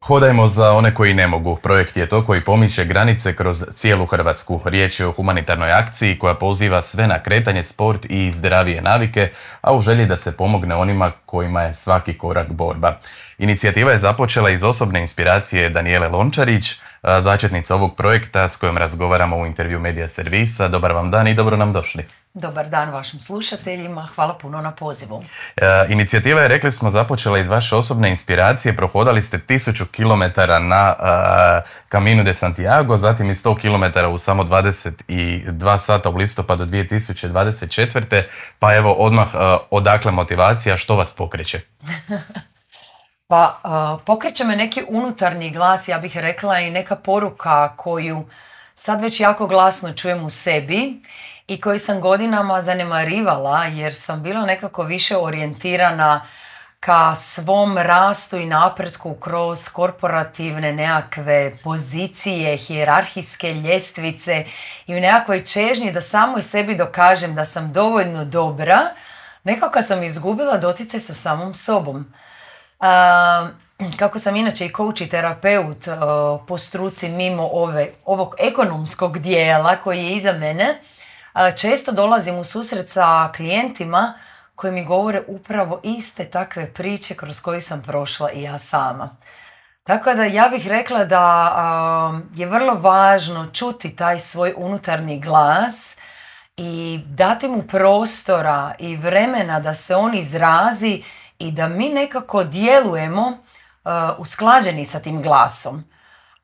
Hodajmo za one koji ne mogu. Projekt je to koji pomiče granice kroz cijelu Hrvatsku. Riječ je o humanitarnoj akciji koja poziva sve na kretanje, sport i zdravije navike, a u želji da se pomogne onima kojima je svaki korak borba. Inicijativa je započela iz osobne inspiracije Danijele Lončarić, začetnica ovog projekta s kojom razgovaramo u intervju Medija servisa. Dobar vam dan i dobro nam došli. Dobar dan vašim slušateljima, hvala puno na pozivu. Inicijativa je, rekli smo, započela iz vaše osobne inspiracije. Prohodali ste 1000 km na Camino de Santiago, zatim i 100 km u samo 22 sata u listopadu 2024. Pa evo odmah, odakle motivacija, što vas pokreće? Pa pokreće me neki unutarnji glas, ja bih rekla, i neka poruka koju sad već jako glasno čujem u sebi i koju sam godinama zanemarivala jer sam bila nekako više orijentirana ka svom rastu i napretku kroz korporativne nekakve pozicije, hijerarhijske ljestvice i u nekakvoj čežnji da samoj sebi dokažem da sam dovoljno dobra, nekako sam izgubila doticaj sa samom sobom. Kako sam inače i coach i terapeut po struci mimo ovog ekonomskog dijela koji je iza mene, često dolazim u susret sa klijentima koji mi govore upravo iste takve priče kroz koje sam prošla i ja sama. Tako da ja bih rekla da je vrlo važno čuti taj svoj unutarnji glas i dati mu prostora i vremena da se on izrazi i da mi nekako djelujemo usklađeni sa tim glasom.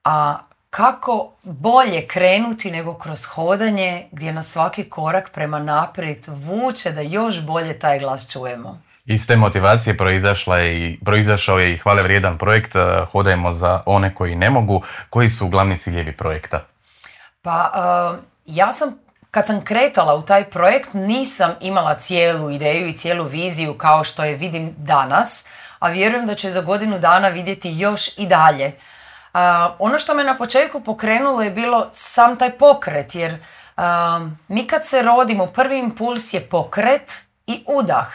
A kako bolje krenuti nego kroz hodanje gdje nas svaki korak prema naprijed vuče da još bolje taj glas čujemo. Iz te motivacije proizašao je i hvale vrijedan projekt Hodajmo za one koji ne mogu. Koji su glavni ciljevi projekta? Pa ja sam, kad sam kretala u taj projekt, nisam imala cijelu ideju i cijelu viziju kao što je vidim danas, a vjerujem da ću za godinu dana vidjeti još i dalje. Ono što me na početku pokrenulo je bilo sam taj pokret, jer mi kad se rodimo, prvi impuls je pokret i udah.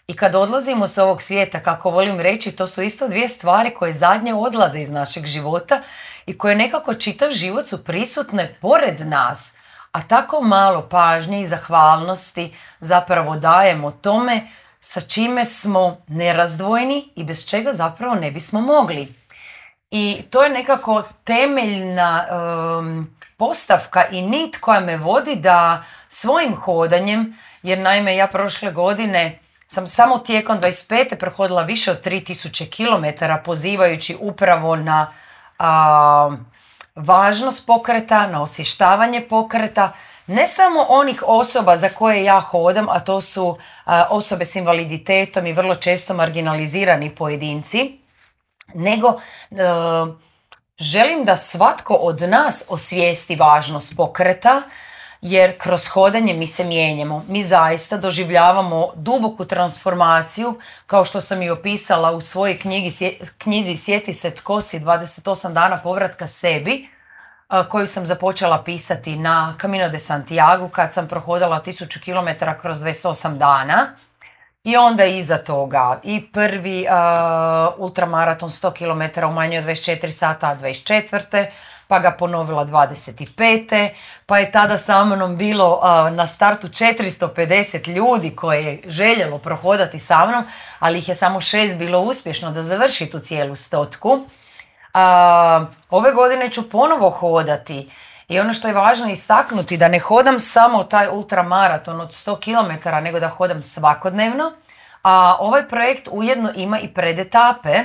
I kad odlazimo s ovog svijeta, kako volim reći, to su isto dvije stvari koje zadnje odlaze iz našeg života i koje nekako čitav život su prisutne pored nas. A tako malo pažnje i zahvalnosti zapravo dajemo tome sa čime smo nerazdvojni i bez čega zapravo ne bismo mogli. I to je nekako temeljna postavka i nit koja me vodi da svojim hodanjem, jer naime ja prošle godine sam samo tijekom 25. prohodila više od 3000 km pozivajući upravo na važnost pokreta, na osvještavanje pokreta, ne samo onih osoba za koje ja hodam, a to su osobe s invaliditetom i vrlo često marginalizirani pojedinci, nego želim da svatko od nas osvijesti važnost pokreta, jer kroz hodanje mi se mijenjamo. Mi zaista doživljavamo duboku transformaciju, kao što sam i opisala u svojoj knjizi Sjeti se tko si, 28 dana povratka sebi, koju sam započela pisati na Camino de Santiago kad sam prohodala 1000 km kroz 28 dana. I onda iza toga i prvi ultramaraton 100 km u manje od 24 sata 24. Pa ga ponovila 25. Pa je tada sa mnom bilo na startu 450 ljudi koje je željelo prohodati sa mnom, ali ih je samo 6 bilo uspješno da završi tu cijelu 100. Ove godine ću ponovo hodati. I ono što je važno istaknuti, da ne hodam samo taj ultramaraton od 100 km, nego da hodam svakodnevno. A ovaj projekt ujedno ima i predetape.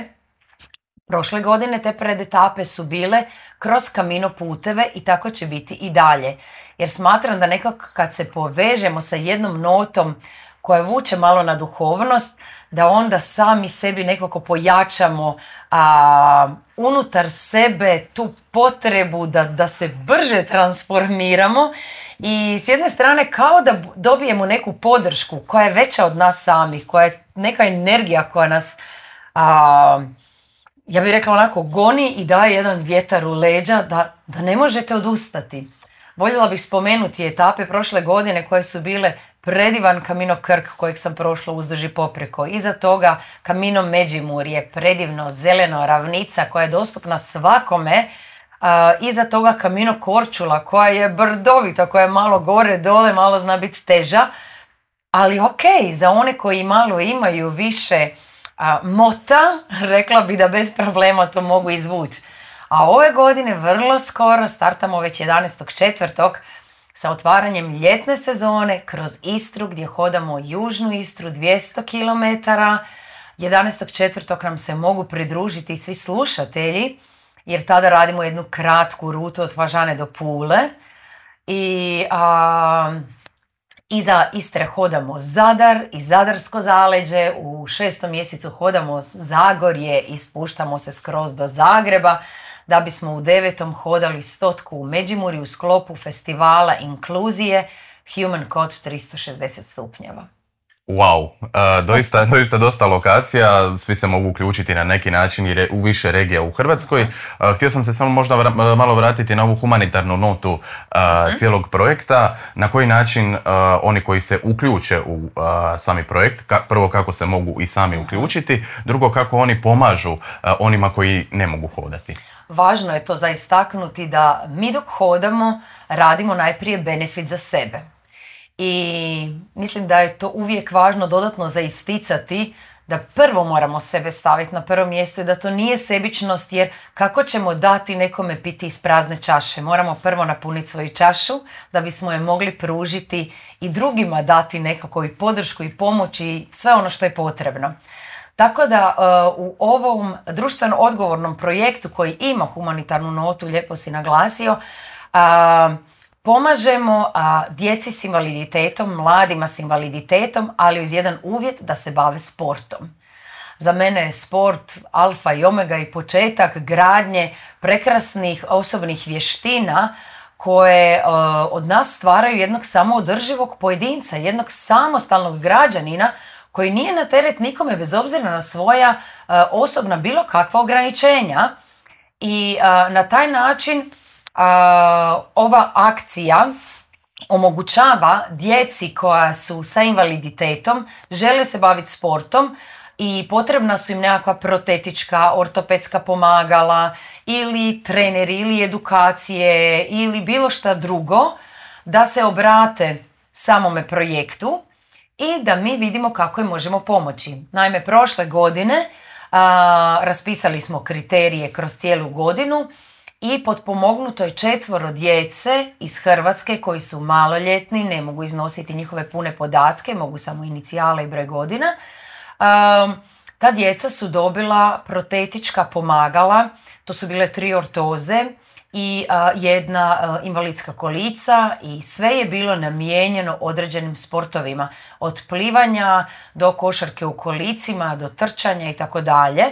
Prošle godine te predetape su bile kroz Camino puteve i tako će biti i dalje. Jer smatram da nekako kad se povežemo sa jednom notom koja vuče malo na duhovnost, da onda sami sebi nekako pojačamo unutar sebe tu potrebu da se brže transformiramo i s jedne strane kao da dobijemo neku podršku koja je veća od nas samih, koja je neka energija koja nas, ja bih rekla onako, goni i daje jedan vjetar u leđa da ne možete odustati. Voljela bih spomenuti etape prošle godine koje su bile predivan Kamino Krk kojeg sam prošla uzduž i popreko. Iza toga Kamino Međimurje, predivno, zeleno, ravnica koja je dostupna svakome. Iza toga Kamino Korčula koja je brdovita, koja je malo gore, dole, malo zna biti teža. Ali ok, za one koji malo imaju više mota, rekla bi da bez problema to mogu izvući. A ove godine vrlo skoro startamo već 11.4. sa otvaranjem ljetne sezone kroz Istru gdje hodamo južnu Istru 200 km. 11.4. nam se mogu pridružiti svi slušatelji jer tada radimo jednu kratku rutu od Fažane do Pule. I iza Istre hodamo Zadar i Zadarsko zaleđe, u 6. mjesecu hodamo Zagorje i spuštamo se skroz do Zagreba, da bismo u 9. hodali 100 u Međimurju u sklopu festivala inkluzije Human Code 360 stupnjeva. Wow, doista dosta lokacija, svi se mogu uključiti na neki način u više regija u Hrvatskoj. Htio sam se samo možda malo vratiti na ovu humanitarnu notu cijelog projekta. Na koji način oni koji se uključe u sami projekt, prvo kako se mogu i sami uključiti, drugo kako oni pomažu onima koji ne mogu hodati. Važno je to za istaknuti da mi dok hodamo radimo najprije benefit za sebe. I mislim da je to uvijek važno dodatno za isticati da prvo moramo sebe staviti na prvo mjesto i da to nije sebičnost, jer kako ćemo dati nekome piti iz prazne čaše? Moramo prvo napuniti svoju čašu da bismo je mogli pružiti i drugima dati nekako i podršku i pomoć i sve ono što je potrebno. Tako da u ovom društveno odgovornom projektu koji ima humanitarnu notu, lijepo si naglasio, pomažemo djeci s invaliditetom, mladima s invaliditetom, ali uz jedan uvjet da se bave sportom. Za mene je sport alfa i omega i početak gradnje prekrasnih osobnih vještina koje od nas stvaraju jednog samoodrživog pojedinca, jednog samostalnog građanina koji nije na teret nikome bez obzira na svoja osobna bilo kakva ograničenja. I na taj način ova akcija omogućava djeci koja su sa invaliditetom, žele se baviti sportom i potrebna su im nekakva protetička, ortopedska pomagala ili treneri ili edukacije ili bilo šta drugo, da se obrate samome projektu i da mi vidimo kako im možemo pomoći. Naime, prošle godine raspisali smo kriterije kroz cijelu godinu i potpomognuto je 4 djece iz Hrvatske koji su maloljetni, ne mogu iznositi njihove pune podatke, mogu samo inicijale i broj godina. Ta djeca su dobila protetička pomagala, to su bile 3 ortoze i jedna invalidska kolica i sve je bilo namijenjeno određenim sportovima, od plivanja do košarke u kolicima, do trčanja i tako dalje.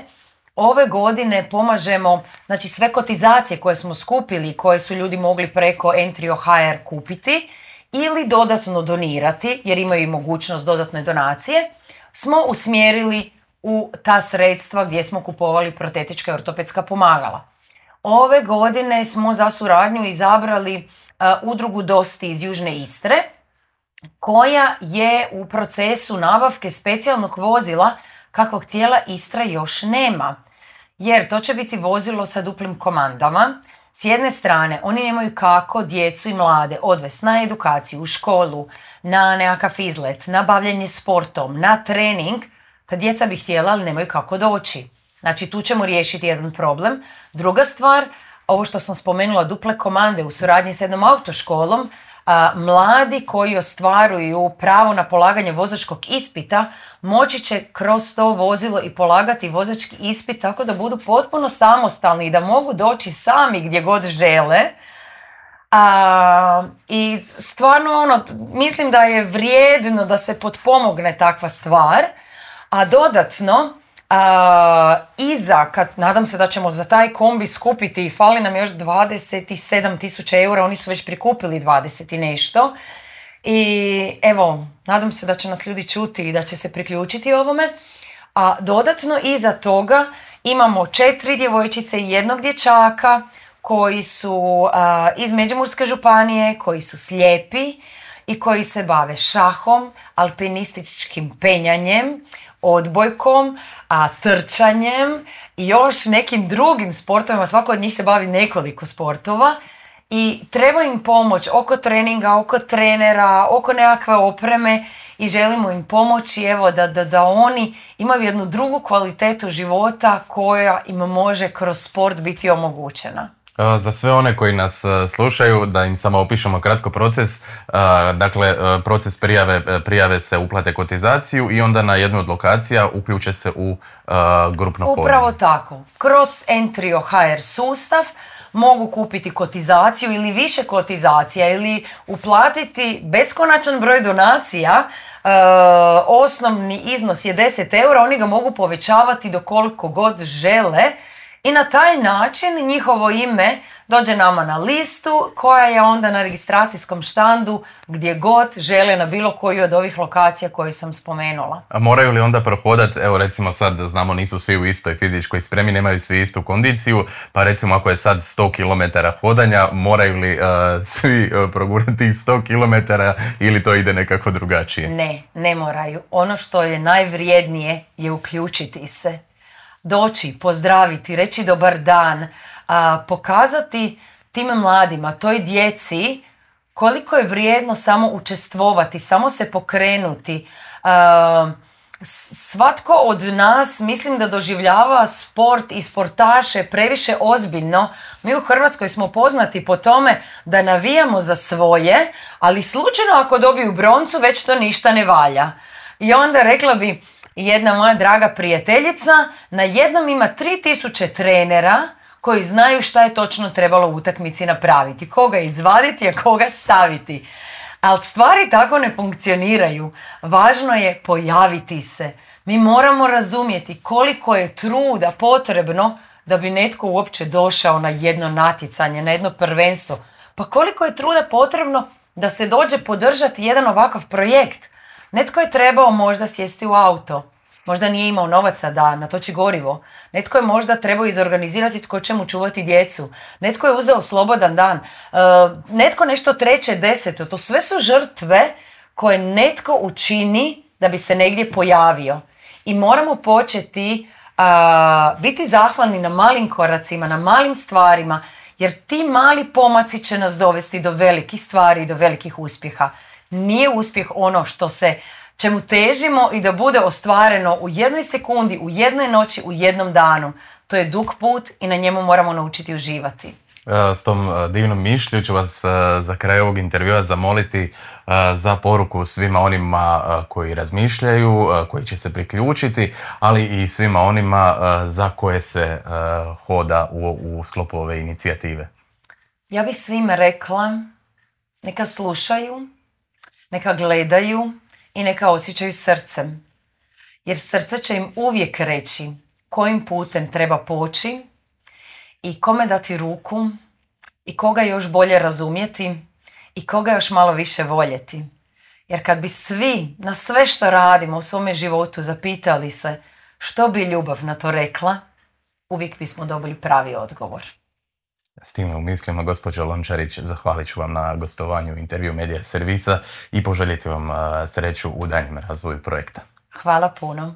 Ove godine pomažemo, znači sve kotizacije koje smo skupili, koje su ljudi mogli preko Entrio.hr kupiti ili dodatno donirati, jer imaju i mogućnost dodatne donacije, smo usmjerili u ta sredstva gdje smo kupovali protetička i ortopedska pomagala. Ove godine smo za suradnju izabrali udrugu Dosti iz Južne Istre, koja je u procesu nabavke specijalnog vozila kakvog cijela Istra još nema. Jer to će biti vozilo sa duplim komandama. S jedne strane, oni nemaju kako djecu i mlade odvesti na edukaciju, u školu, na nekakav izlet, na bavljenje sportom, na trening. Ta djeca bi htjela, ali nemaju kako doći. Znači, tu ćemo riješiti jedan problem. Druga stvar, ovo što sam spomenula, duple komande u suradnji s jednom autoškolom, mladi koji ostvaruju pravo na polaganje vozačkog ispita moći će kroz to vozilo i polagati vozački ispit tako da budu potpuno samostalni i da mogu doći sami gdje god žele. I stvarno mislim da je vrijedno da se potpomogne takva stvar, a dodatno nadam se da ćemo za taj kombi skupiti, fali nam još 27.000 eura, oni su već prikupili 20 i nešto. I evo, nadam se da će nas ljudi čuti i da će se priključiti ovome. A dodatno iza toga imamo 4 djevojčice i 1 dječaka koji su iz Međimurske županije, koji su slijepi i koji se bave šahom, alpinističkim penjanjem, odbojkom, trčanjem i još nekim drugim sportovima. Svako od njih se bavi nekoliko sportova i treba im pomoć oko treninga, oko trenera, oko nekakve opreme i želimo im pomoći da oni imaju jednu drugu kvalitetu života koja im može kroz sport biti omogućena. Za sve one koji nas slušaju, da im samo opišemo kratko proces. Dakle, proces prijave se uplate kotizaciju i onda na jednu od lokacija uključe se u grupno polje. Upravo tako. Kroz Entrio HR sustav mogu kupiti kotizaciju ili više kotizacija ili uplatiti beskonačan broj donacija. Osnovni iznos je 10 eura, oni ga mogu povećavati do koliko god žele. I na taj način njihovo ime dođe nama na listu koja je onda na registracijskom štandu gdje god žele na bilo koju od ovih lokacija koju sam spomenula. A moraju li onda prohodati, evo recimo sad znamo nisu svi u istoj fizičkoj spremi, nemaju svi istu kondiciju, pa recimo ako je sad 100 km hodanja, moraju li svi progurati 100 km ili to ide nekako drugačije? Ne moraju. Ono što je najvrijednije je uključiti se. Doći, pozdraviti, reći dobar dan, pokazati tim mladima, toj djeci koliko je vrijedno samo učestvovati, samo se pokrenuti. Svatko od nas mislim da doživljava sport i sportaše previše ozbiljno. Mi u Hrvatskoj smo poznati po tome da navijamo za svoje, ali slučajno ako dobiju broncu već to ništa ne valja. I onda rekla bi, jedna moja draga prijateljica na jednom ima 3000 trenera koji znaju šta je točno trebalo u utakmici napraviti. Koga izvaditi, a koga staviti. Ali stvari tako ne funkcioniraju. Važno je pojaviti se. Mi moramo razumjeti koliko je truda potrebno da bi netko uopće došao na jedno natjecanje, na jedno prvenstvo. Pa koliko je truda potrebno da se dođe podržati jedan ovakav projekt. Netko je trebao možda sjesti u auto, možda nije imao novaca da natoči gorivo. Netko je možda trebao izorganizirati tko će mu čuvati djecu. Netko je uzeo slobodan dan. Netko nešto treće, deseto. To sve su žrtve koje netko učini da bi se negdje pojavio. I moramo početi biti zahvalni na malim koracima, na malim stvarima, jer ti mali pomaci će nas dovesti do velikih stvari i do velikih uspjeha. Nije uspjeh ono čemu težimo i da bude ostvareno u jednoj sekundi, u jednoj noći, u jednom danu. To je dug put i na njemu moramo naučiti uživati. S tom divnom mišlju ću vas za kraj ovog intervjua zamoliti za poruku svima onima koji razmišljaju, koji će se priključiti, ali i svima onima za koje se hoda u sklopu ove inicijative. Ja bih svima rekla, neka slušaju, neka gledaju i neka osjećaju srcem. Jer srce će im uvijek reći kojim putem treba poći i kome dati ruku i koga još bolje razumjeti i koga još malo više voljeti. Jer kad bi svi na sve što radimo u svome životu zapitali se što bi ljubav na to rekla, uvijek bismo dobili pravi odgovor. S time u mislima, gospođo Lončarić, zahvalit ću vam na gostovanju u intervju Medija servisa i poželjeti vam sreću u daljnjem razvoju projekta. Hvala puno.